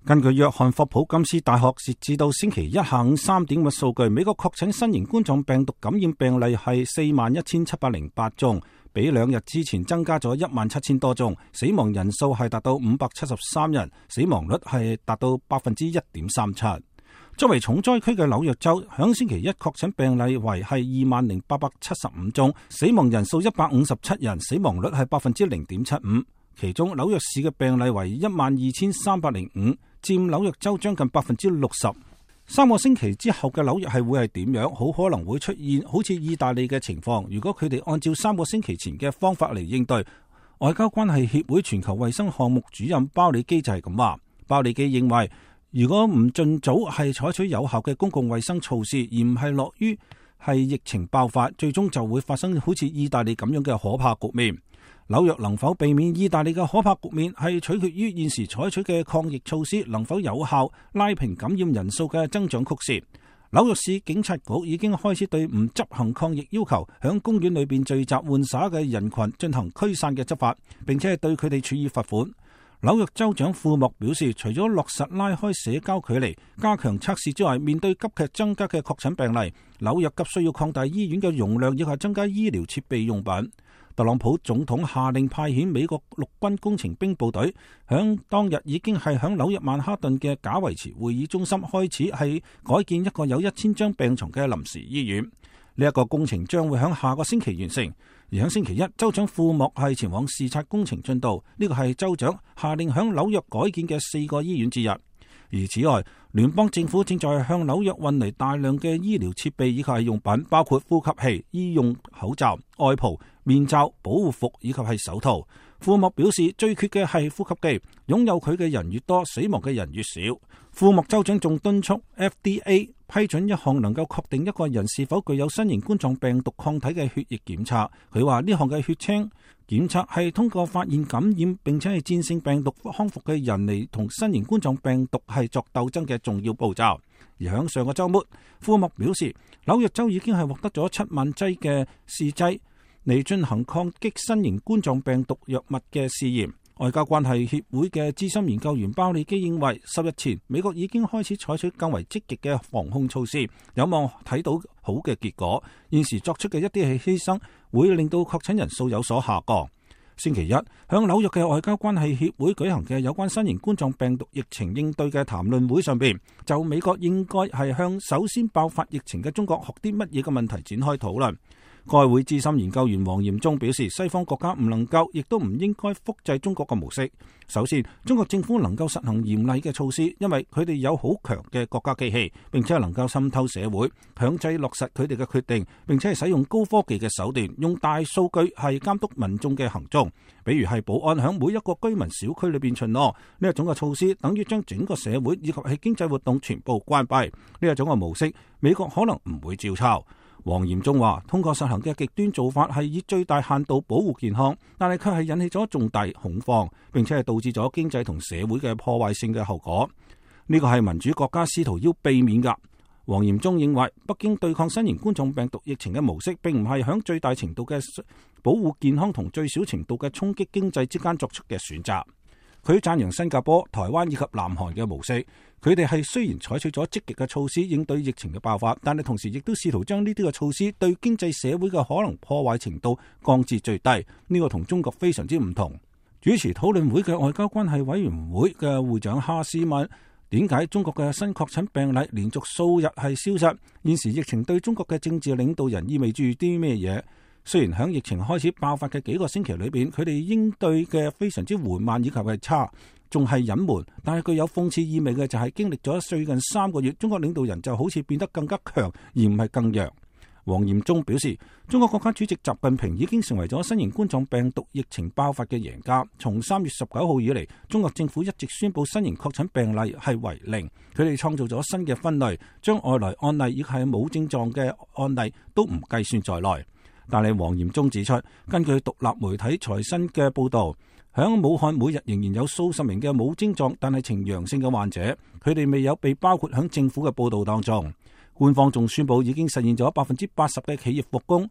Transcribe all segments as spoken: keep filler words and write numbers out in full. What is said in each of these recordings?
根據約翰霍普金斯大學截至到星期一下午三點嘅數據，美國確診新型冠狀病毒感染病例係四萬一千七百零八宗，比兩日之前增加咗一萬七千多宗，死亡人數係達到五百七十三人，死亡率係達到百分之一點三七。作為重災區嘅紐約州，響星期一確診病例為係二萬零八百七十五宗，死亡人數一百五十七人，死亡率係百分之零點七五。其中紐約市嘅病例為一萬二千三百零五，佔紐約州將近百分之六十。三個星期之後嘅紐約係會係點樣？好可能會出現好似意大利嘅情況。如果佢哋按照三個星期前嘅方法嚟應對，外交關係協會全球衛生項目主任鮑里基就係咁話。鮑里基認為，如果唔盡早係採取有效嘅公共衛生措施，而唔係樂於係疫情爆發，最終就會發生好似意大利咁樣嘅可怕局面。紐約能否避免意大利嘅可怕局面，係取決於現時採取嘅抗疫措施能否有效拉平感染人數嘅增長曲線。紐約市警察局已經開始對唔執行抗疫要求，響公園裏邊聚集玩耍嘅人群進行驅散嘅執法，並且係對佢哋處以罰款。紐約州長庫莫表示，除咗落實拉開社交距離、加強測試之外，面對急劇增加嘅確診病例，紐約急需要擴大醫院嘅容量，以及增加醫療設備用品。特朗普總統下令派遣美國陸軍工程兵部隊，響當日已經係響紐約曼哈頓嘅賈維茨會議中心開始係改建一個有一千張病床嘅臨時醫院。呢一個工程將會響下個星期完成。而響星期一，州長庫莫係前往視察工程進度。呢個係州長下令響紐約改建嘅四個醫院之一。而此外，聯邦政府正在向紐約運嚟大量嘅醫療設備以及係用品，包括呼吸器、醫用口罩、外袍、面罩、保護服以及係手套。庫莫表示，最缺嘅係呼吸機，擁有佢嘅人越多，死亡嘅人越少。庫莫州長仲敦促 F D A 批准一項能夠確定一個人是否具有新型冠狀病毒抗體嘅血液檢測。佢話呢項嘅血清檢測係通過發現感染並且係戰勝病毒康復嘅人嚟同新型冠狀病毒係作鬥爭嘅重要步驟。而響上個週末，庫莫表示，紐約州已經係獲得咗七萬劑嘅試劑嚟進行抗擊新型冠狀病毒藥物嘅試驗。外交關係協會嘅資深研究員鮑里基認為，十日前美國已經開始採取更為積極嘅防控措施，有望睇到好嘅結果。現時作出嘅一啲係犧牲，會令到確診人數有所下降。星期一，響紐約嘅外交關係協會舉行嘅有關新型冠狀病毒疫情應對嘅談論會上邊，就美國應該係向首先爆發疫情嘅中國學啲乜嘢嘅問題展開討論。該會資深研究員黃炎忠表示，西方國家唔能夠，亦都唔應該複製中國嘅模式。首先，中國政府能夠實行嚴厲嘅措施，因為佢哋有好強嘅國家機器，並且係能夠滲透社會，強制落實佢哋嘅決定，並且係使用高科技嘅手段，用大數據係監督民眾嘅行蹤。比如係保安響每一個居民小區裏邊巡邏，呢一種嘅措施等於將整個社會以及係經濟活動全部關閉。呢一種嘅模式，美國可能唔會照抄。黃炎忠話，通過實行嘅極端做法係以最大限度保護健康，但係卻係引起咗重大恐慌，並且係導致咗經濟同社會嘅破壞性嘅後果。呢個係民主國家試圖要避免㗎。黃炎忠認為，北京對抗新型冠狀病毒疫情嘅模式，並唔係響最大程度嘅保護健康同最小程度嘅衝擊經濟之間作出嘅選擇。佢讚揚新加坡、台灣以及南韓嘅模式，佢哋係雖然採取咗積極嘅措施應對疫情嘅爆發，但係同時亦都試圖將呢啲嘅措施對經濟社會嘅可能破壞程度降至最低。呢個同中國非常之唔同。主持討論會嘅外交關係委員會嘅會長哈斯問，點解中國嘅新確診病例連續數日係消失？現時疫情對中國嘅政治領導人意味住啲咩嘢？雖然喺疫情開始爆發嘅幾個星期裏邊，佢哋應對嘅非常之緩慢以及係差，仲係隱瞞。但係具有諷刺意味嘅就係經歷咗最近三個月，中國領導人就好似變得更加強，而唔係更弱。黃炎忠表示，中國國家主席習近平已經成為咗新型冠狀病毒疫情爆發嘅贏家。從三月十九號以嚟，中國政府一直宣布新型確診病例係為零，佢哋創造咗新嘅分類，將外來案例以及係冇症狀嘅案例都唔計算在內。但係黃炎忠指出，根據獨立媒體財新嘅報導，響武漢每日仍然有數十名嘅冇症狀但係呈陽性嘅患者，佢哋未有被包括響政府嘅報導當中。官方仲宣布已經實現咗百分之八十嘅企業復工。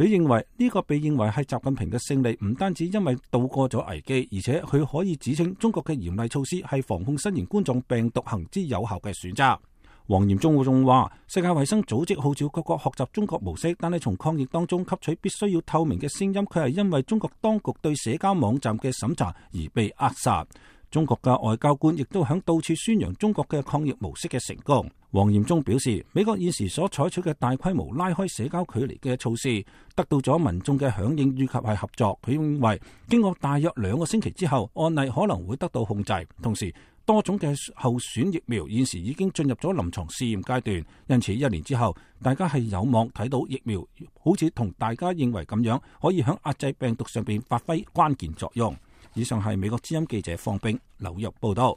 佢認為呢個被認為係習近平嘅勝利，唔單止因為渡過咗危機，而且佢可以指稱中國嘅嚴厲措施係防控新型冠狀病毒行之有效嘅選擇。王炎中仲話，世界衛生組織號召各國學習中國模式，但係從抗疫當中吸取必須要透明嘅聲音，佢係因為中國當局對社交網站嘅審查而被扼殺。中國嘅外交官亦都響到處宣揚中國嘅抗疫模式嘅成功。王炎中表示，美國現時所採取嘅大規模拉開社交距離嘅措施，得到咗民眾嘅響應以及係合作。佢認為經過大約兩個星期之後，案例可能會得到控制。同時，多種嘅候選疫苗現時已經進入咗臨床試驗階段，因此一年之後，大家係有望睇到疫苗好似同大家認為咁樣，可以響壓制病毒上邊發揮關鍵作用。以上係美國之音記者方冰紐約報道。